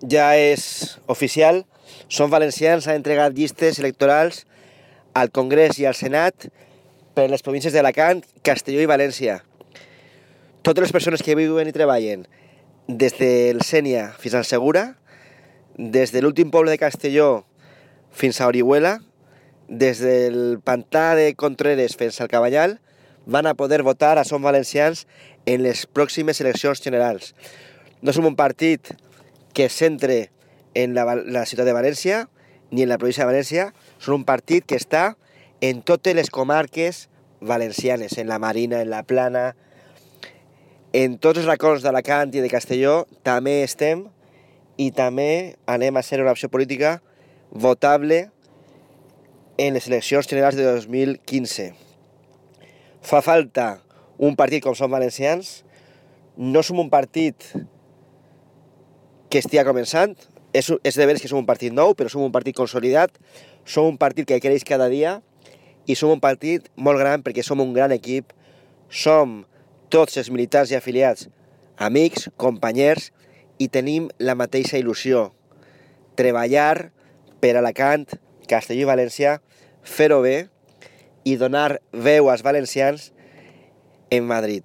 ja és oficial, Som Valencians ha entregat llistes electorals al Congrés i al Senat per les províncies d'Alacant, Castelló i València. Totes les persones que viuen i treballen des del Sénia fins al Segura, des de l'últim poble de Castelló fins a Orihuela, des del pantà de Contreres fins al Cabanyal, van a poder votar a Som Valencians en les pròximes eleccions generals. No som un partit que es centre en la ciutat de València ni en la província de València, som un partit que està en totes les comarques valencianes, en la Marina, en la Plana, en tots els racons d'Alacant i de Castelló també estem i també anem a ser una opció política votable en les eleccions generals de 2015. Fa falta un partit com Som Valencians, no som un partit que estigui començant, és de veres que som un partit nou, però som un partit consolidat, som un partit que creix cada dia i som un partit molt gran perquè som un gran equip, som tots els militants i afiliats amics, companys i tenim la mateixa il·lusió, treballar per Alacant, Castelló i València, fer-ho bé i donar veu als valencians en Madrid.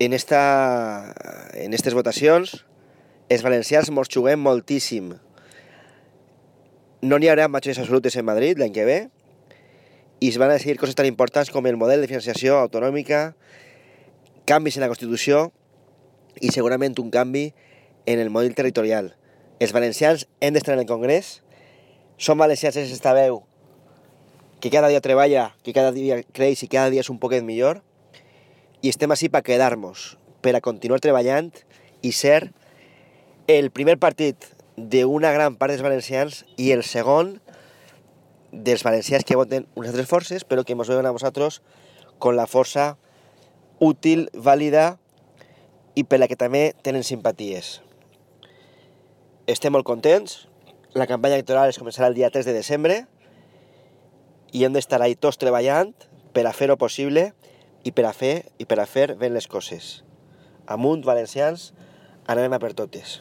En aquestes votacions, els valencians mos juguem moltíssim. No n'hi haurà majories absolutes en Madrid l'any que ve i es van a decidir coses tan importants com el model de financiació autonòmica, canvis en la Constitució i segurament un canvi en el model territorial. Els valencians hem d'estar en el Congrés, Som Valencians és esta veu que cada dia treballa, que cada dia creix i cada dia és un poquet millor i estem així per quedar-nos, per a continuar treballant i ser el primer partit d'una gran part dels valencians i el segon dels valencians que voten unes altres forces, però que ens veuen a nosaltres con la força útil, vàlida i per la que també tenen simpaties. Estem molt contents, la campanya electoral es començarà el dia 3 de desembre i hem d'estar ahí tots treballant per a fer-ho possible i per a fer ben les coses. Amunt, valencians, anem a per totes.